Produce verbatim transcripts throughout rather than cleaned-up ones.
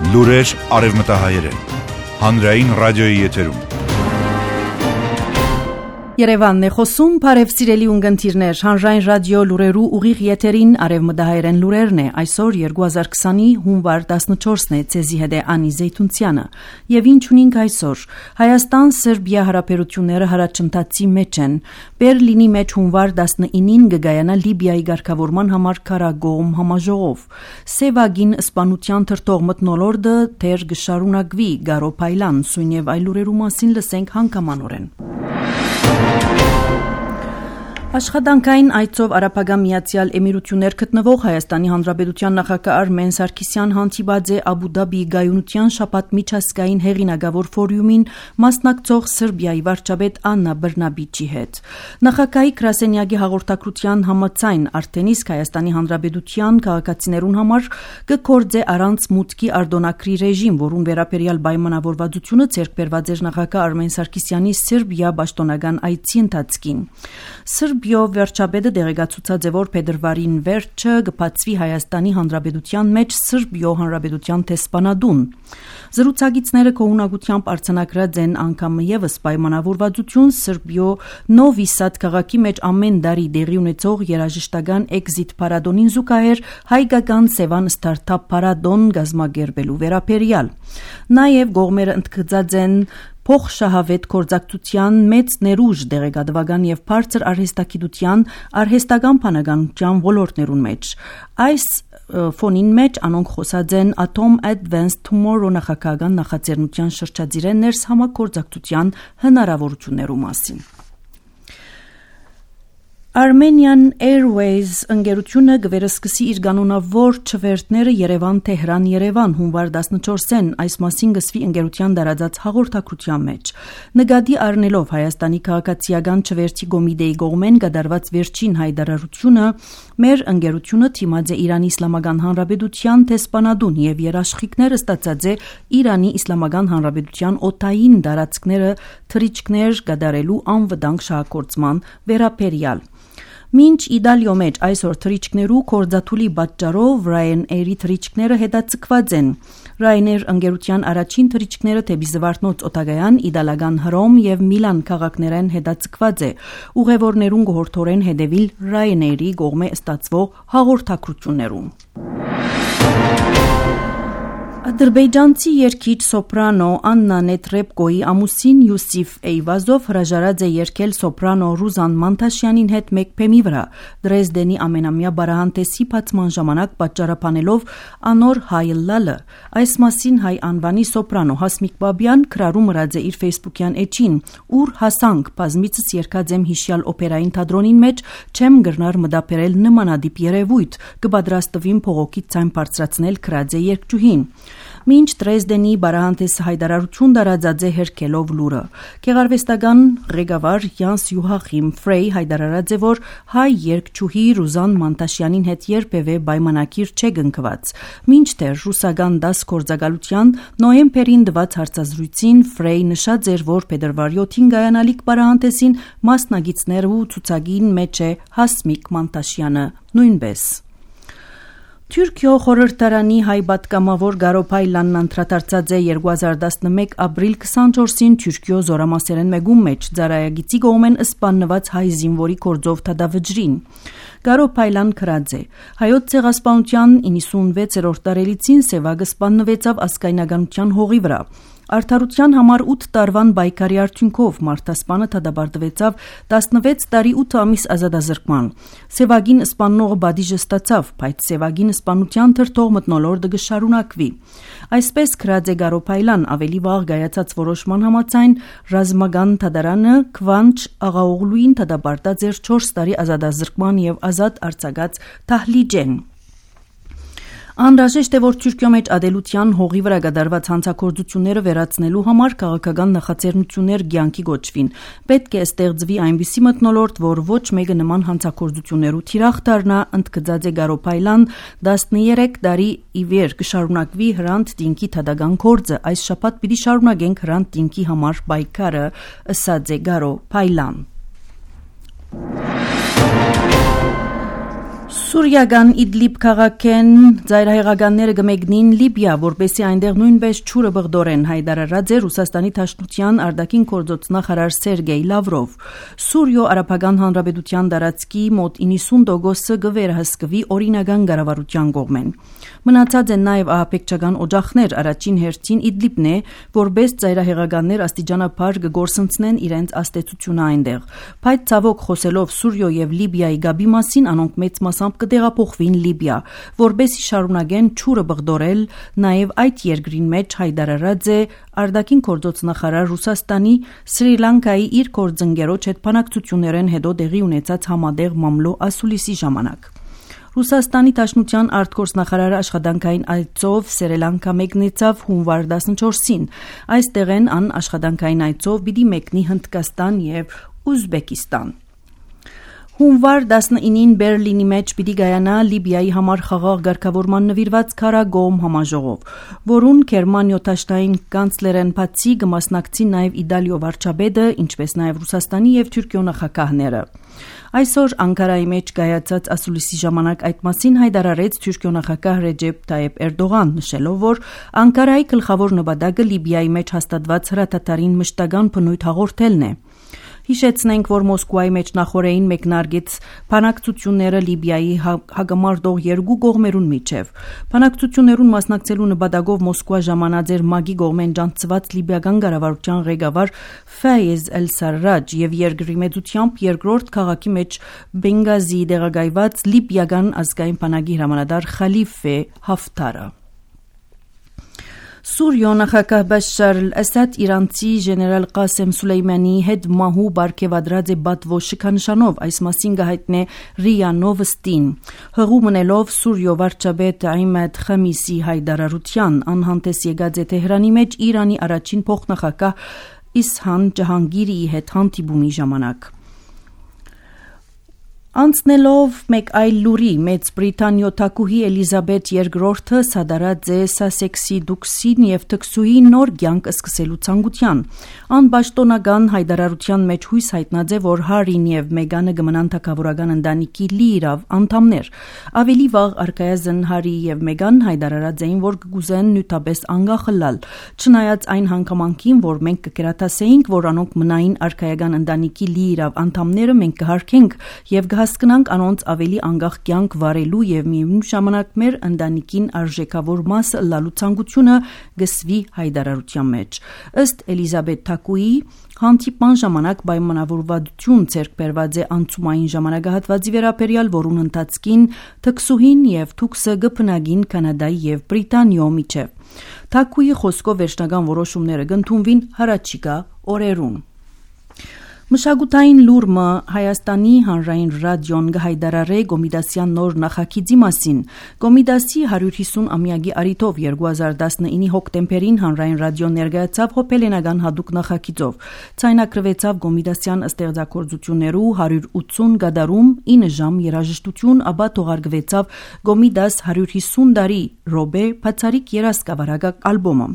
Լուրեր արևմտահայերեն, հանրային ռադիոյի եթերում։ Երևանն է խոսում, բարև սիրելի ունգընտիրներ, հանրային ռադիո լուրերու ուղիղ եթերին արևմտահայերեն լուրերն է, այսօր երկու հազար քսանի հունվար տասնչորսն է, ցեզի հետ է Անի Զեյթունցյանը, եւ ինչ ունենք այսօր, Հայաստան-Սերբիա հարաբերությունները հարաճընթացի մեջ են, Բերլինի մեջ հունվար տասնինին կգայանա Լիբիայի ղեկավարման համար քարագոհմ համաժողով, Սևագին սպանության թրթող մթնոլորտը դեռ կշարունակվի, Գարո Փայլան, սույն եւ այլ լուրերու մասին լսենք հանգամանորեն։ Աշխատանքային այցով Արաբական Միացյալ Էմիրություններ գտնվող Հայաստանի Հանրապետության նախագահ Արմեն Սարգսյան հանդիպած է Աբու Դաբիի գայունության շաբաթ միջազգային հեղինակավոր ֆորումին մասնակցող Սերբիայի վարչապետ Աննա Բրնաբիչի հետ։ Նախագահի գրասենյակի հաղորդակցության համաձայն արդեն իսկ Հայաստանի Հանրապետության քաղաքացիներուն համար կգործե առանց մուտքի արտոնակրի ռեժիմ, որուն վերաբերյալ պայմանավորվածությունը ձեռք բերված էր նախագահ Արմեն Սարգսյանի Սերբիա պաշտոնական այցի ընթացքին։ Սերբիո վերջաբեդը դեղեկացուցած է, որ փետրվարին վերջը կբացվի Հայաստանի Հանրապետության մեջ Սերբիո Հանրապետության տեսփանադուն։ Զրուցակիցները կողունակությամբ արձանագրած են անգամ եւս պայմանավորվածություն Սերբիո Նովի Սադ քաղաքի մեջ ամեն տարի դեղի ունեցող երաժշտական էքզիտ փարադոնին զուգահեռ հայկական Սևան ստարտափ փարադոն գազմագերբելու վերաբերյալ։ Նաեւ կողմերը ընդգծած են փոխշահավետ կորձակցության մեծ ներուժ դեղեկատվական եւ բարձր արհեստագիտության արհեստական բանականության ոլորտներուն մեջ։ Այս ֆոնին մեջ անոնք խոսած են Atom Advanced Tomorrow նախագահական նախաձեռնության շրջադիրեն ներս համագործակցության հնարավորություններու մասին։ Armenian Airways ընկերությունը կվերսկսի իր կանոնավոր չվերթները Երևան-Թեհրան-Երևան հունվար տասնչորսին, այս մասին կսվի ընկերության տարածած հաղորդակցության մեջ։ Նկատի առնելով Հայաստանի քաղաքացիական չվերթի կոմիտեի կողմեն կատարված վերջին հայտարարությունը, մեր ընկերությունը թիմած է Իրանի Իսլամական Հանրապետության տեսփանադուն եւ երաշխիքները ստացած է Իրանի Իսլամական Հանրապետության օդային տարածքները թռիչքներ կատարելու անվտանգ շահագործման վերաբերյալ։ Մինչ Իտալիո մեջ այսօր թռիչքներու կորձաթուլի պատճառով Ryanair-ի թռիչքները հետաձգված են։ Ryanair ընկերության առաջին թռիչքները դեպի Զվարթնոց օտագայան, իտալական Հռոմ եւ Միլան քաղաքներեն հետաձգված է։ Ուղևորներուն կհորդորեն հետևիլ Ryanair-ի կողմէ ստացվող հաղորդակցություններուն։ Ադրբեջանցի երգիչ սոպրանո Աննա Նետրեպկոյի ամուսին Յուսիֆ Էյվազով հրաժարած է երգել սոպրանո Ռուզան Մանտաշյանին հետ մեկ բեմի վրա, Դրեզդենի ամենամյա բարահանտեսի բացման ժամանակ պատճառաբանելով անոր հայլլալը։ Այս մասին հայ անվանի սոպրանո Հասմիկ Բաբյան քրարում մրած է իր ֆեյսբուքյան էջին, ուր հասանք բազմիցս երգած եմ հիշյալ օպերային թատրոնին մեջ, չեմ գրնար մտապերել նմանադիպ երևույթ, կպատրաստվին փողոքից ցայն բարձրացնել քրած է երգչուհին։ Մինչ Դրեզդենի բարահանտեսը հայտարարություն տարածած է հերքելով լուրը։ Գեղարվեստական ղեկավար Յանս Յուհախիմ Ֆրեյ հայտարարած է, որ հայ երգչուհի Ռուզան Մանտաշյանին հետ երբևէ պայմանակիր չէ կնքված։ Մինչդեռ ռուսական դաս գործակալության նոյեմբերին տված հարցազրույցին Ֆրեյ նշած էր, որ փետրվարի ութին գայանալիք բարահանտեսին մասնագետներու ցուցակին մեջ է Հասմիկ Մանտաշյանը նույնպես։ Թուրքիո խորհրդարանի հայ պատգամավոր Գարո Փայլանն անդրադարձած է երկու հազար տասնմեկ ապրիլ քսանչորսին Թուրքիո զորամասերեն մեկում մեջ ծառայագիծի կողմեն սպանված հայ զինվորի կորձով թադավջրին։ Գարո Փայլան քրած է։ Հայոց ցեղասպանության իննսունվեցերորդ տարելիցին Սևագը սպանվեցավ ազգայնականության հողի վրա։ Արդարության համար ութ տարվան բայկարի արդյունքով մարդասպանը թադաբարտվեցավ տասնվեց տարի ութ ամիս ազատազրկման։ Սևագին սպանողը բադիժը ստացավ, բայց Սևագին սպանության թրթող մթնոլորտը կշարունակվի։ Այսպես քրած է Գարո Փայլան ավելի վաղ գայացած որոշման համաձայն ռազմական թադարանը Քվանչ Աղաօղլուին թադաբարտած էր չորս տարի ազատազրկման եւ ազատ արձակած Թահլիջեն։ Անհրաժեշտ է, որ Թուրքիո մեջ ադելության հողի վրա կատարված հանցագործությունները վերացնելու համար քաղաքական նախաձեռնություններ կյանքի գոչվին։ Պետք է ստեղծվի այնպիսի մթնոլորտ, որ ոչ մեկը նման հանցագործություններու թիրախ դառնա, ընդգծած է Գարո Փայլան, տասներեք տարի ի վեր կշարունակվի Հրանտ Տինքի թադական գործը, այս շաբաթ պիտի շարունակենք Հրանտ Տինքի համար պայքարը, ըսած է Գարո Փայլան։ Սուրիական Իդլիբ քաղաքեն ծայրահեղականները գմեգնին Լիբիա, որպեսի այնտեղ նույնպես չուրը բղդորեն, հայտարարած է Ռուսաստանի Դաշնության արտաքին գործոց նախարար Սերգեյ Լավրով։ Սուրիո Արաբական Հանրապետության տարածքի մոտ իննսուն տոկոսը կվերահսկվի օրինական կառավարության կողմեն։ Մնացած են նաև ահաբեկչական օջախներ, առաջին հերթին Իդլիբն է, որպես ծայրահեղականներ աստիճանաբար կգործընծնեն իրենց աստեցությունը այնտեղ։ Բայց ցավոք խոսելով Սուրիո եւ Լիբիայի գաբի մասին, անոնք մեծ մասամբ կտեղափոխվին Լիբիա, որպեսզի շարունակեն չուրը բղդորել, նաև այդ երկրին մեջ հայտարարած է արտաքին գործոց նախարար Ռուսաստանի Սրի Լանկայի իր գործընկերոջ հետ բանակցություններեն հետո տեղի ունեցած համատեղ մամլո ասուլիսի ժամանակ։ Ռուսաստանի Դաշնության արտգործնախարարը աշխատանքային այցով Սրի Լանկա մեկնեցավ հունվար տասնչորսին։ Այստեղեն ան աշխատանքային այցով պիտի մեկնի Հնդկաստան եւ Ուզբեկիստան։ Հունվար տասնինին Բերլինի մեջ պիտի գայանա Լիբիայի համար խաղաղ ղեկավարման նվիրված քարագոմ համաժողով, որուն Գերմանիո դաշնային կանցլերեն բացի կմասնակցի նաև Իտալիո վարչապետը, ինչպես նաև Ռուսաստանի եւ Թուրքիո նախագահները։ Այսօր Անկարայի մեջ գայացած ասուլիսի ժամանակ այդ մասին հայտարարեց Թուրքիո նախագահ Ռեջեփ Թայեփ Էրդողան, նշելով, որ Անկարայի գլխավոր նպատակը Լիբիայի մեջ հաստատված հրատատարին մշտական բնույթ հաղորդելն է։ Հիշեցնենք, որ Մոսկվայի մեջ նախորդին մեկնարկեց բանակցությունները Լիբիայի հագամարտող երկու կողմերուն միջև։ Բանակցություններուն մասնակցելու նպատակով Մոսկվա ժամանած էր ՄԱԳ-ի կողմեն ջանցված լիբիական կառավարության ղեկավար Ֆայեզ Էլ-Սարրաջ եւ երկրի մեծությամբ երկրորդ քաղաքի մեջ Բենգազի տեղակայված լիբիական ազգային բանակի հրամանատար Խալիֆե Հաֆթարը։ Սուրիո նախագահ Բաշար Ասադ իրանցի գեներալ Qasem Սուլեյմանի հետ մահու բարգեւադրած է բատվո շքանշանով, այս մասին գահիտնե Ռիա Նովստին։ Հղու մնելով Սուրիո վարչապետ Իմադ Խամիսի հայտարարության անհանտես եկած է Թեհրանի մեջ Իրանի առաջին փոխնախագահ Իսհան Ջահանգիրի հետ հանդիպումի ժամանակ։ Անցնելով մեկ այլ լուրի, Մեծ Բրիտանիո թագուհի Էլիզաբեթ երկրորդը սադարած է Սասեքսի դուքսին եւ թքսուհի նոր կյանք սկսելու ցանկության։ Անպաշտոնական հայտարարության մեջ հույս հայտնած է, որ Հարին եւ Մեգանը կմնան թագավորական ընտանիքի լիիրավ անդամներ։ Ավելի վաղ արկայազն Հարի եւ Մեգան հայտարարած էին, որ կգուզեն նյութապես անգախլալ, չնայած այն հանգամանքին, որ մենք կկերատասեինք, որ անոնք մնային արկայական ընտանիքի լիիրավ անդամները, մենք կհարգենք եւ հասկանանք անոնց ավելի անգախ կյանք վարելու եւ միևնույն ժամանակ մեր ընտանիքին արժեքավոր մասը լալու ցանկությունը գսվի հայտարարության մեջ։ Ըստ Էլիզաբեթ թագուհի հանդիպման ժամանակ պայմանավորվածություն ձեռք բերված է անցումային ժամանակահատվածի վերաբերյալ, որուն ընթացքին թքսուհին եւ թուքսը գփնագին Կանադայի եւ Բրիտանիո միջև։ Թագուհի խոսքով վերջնական որոշումները կընդունվին հառաջիկա օրերուն։ Մշակութային լուրը Հայաստանի հանրային ռադիոն կհայտարարե Կոմիտասյան նոր նախագիծի մասին։ Կոմիտասի հարյուր հիսուն-ամյակի առիթով երկու հազար տասնինի հոկտեմբերին հանրային ռադիոն ներկայացավ հոբելենական հատուկ նախագիծով։ Ցայնակրվեցավ Կոմիտասյան ստեղծագործություններու հարյուր ութսուն գադարում ինը ժամ երաժշտություն, ապա թողարկվեցավ Կոմիտաս հարյուր հիսուն տարի ռոբե բացարիք երազկավարակ ալբոմը։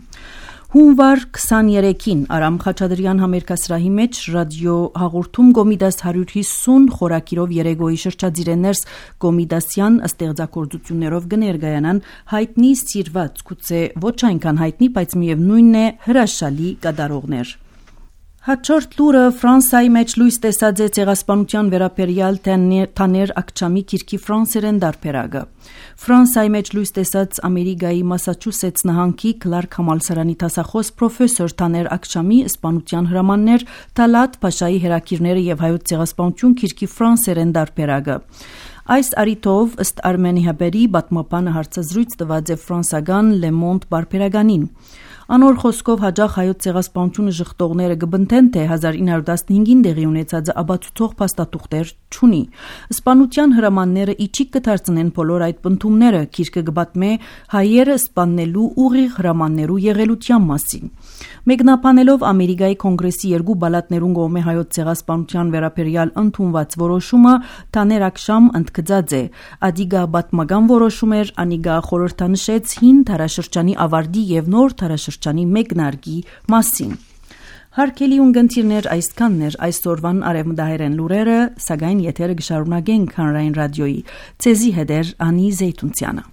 Հունվար քսաներեքին Արամ Խաչատրյան համերգասրահի մեջ ռադիո հաղորդում Կոմիտաս հարյուր հիսուն խորակիրով երեգոյի շրջադիրներս Կոմիտասյան ստեղծագործություններով կներկայանան հայտնի սիրված, գուցե ոչ այնքան հայտնի, բայց միևնույնն է հրաշալի կատարողներ։ Հաջորդ լուրը Ֆրանսիայի մեջ լույս տեսած է ցեղասպանության վերաբերյալ Թաներ Աքչամի գիրքի ֆրանսերեն դարբերակը։ Ֆրանսիայի մեջ լույս տեսած Ամերիկայի Մասաչուսեթս նահանգի Քլարք համալսարանի դասախոս պրոֆեսոր Թաներ Աքչամի սպանության հրամաններ Թալատ Փաշայի հերակիրները եւ հայոց ցեղասպանություն գիրքի ֆրանսերեն դարբերակը։ Այս առիթով ըստ Արմենի Հաբերի պատմապանը հարցազրույց տված է ֆրանսական Le Monde բարբերականին։ Անոր խոսքով հաջող հայոց ցեղասպանությունը ժխտողները կբնթեն, թե հազար ինը հարյուր տասնհինգին տեղի ունեցած աբացուցող փաստաթուղթեր չունի։ Սպանության հրամանները իջիկ կդարձնեն բոլոր այդ բնդումները, գիրքը կպատմե հայերը սպաննելու ուղիղ հրամաններու եղելության մասին։ Մեկնաբանելով Ամերիկայի կոնգրեսի երկու բալատներուն կողմէ հայոց ցեղասպանության վերաբերյալ ընդունված որոշումը, Թաներ Աքշամ ընդգծած է. «Ադիգա պատմական որոշում էր, անիգա խորհրդանշեց հին դարաշրջանի ավարտի եւ նոր դարաշրջանի մեկնարկի մասին»։ Հարկելի ունգընտիրներ այսքաններ այսօրվան արևմտահայերեն լուրերը, սակայն եթերը կշարունակենք հանրային ռադիոյի։ Ցեզի հետեր Անի Զեյթունցյանը։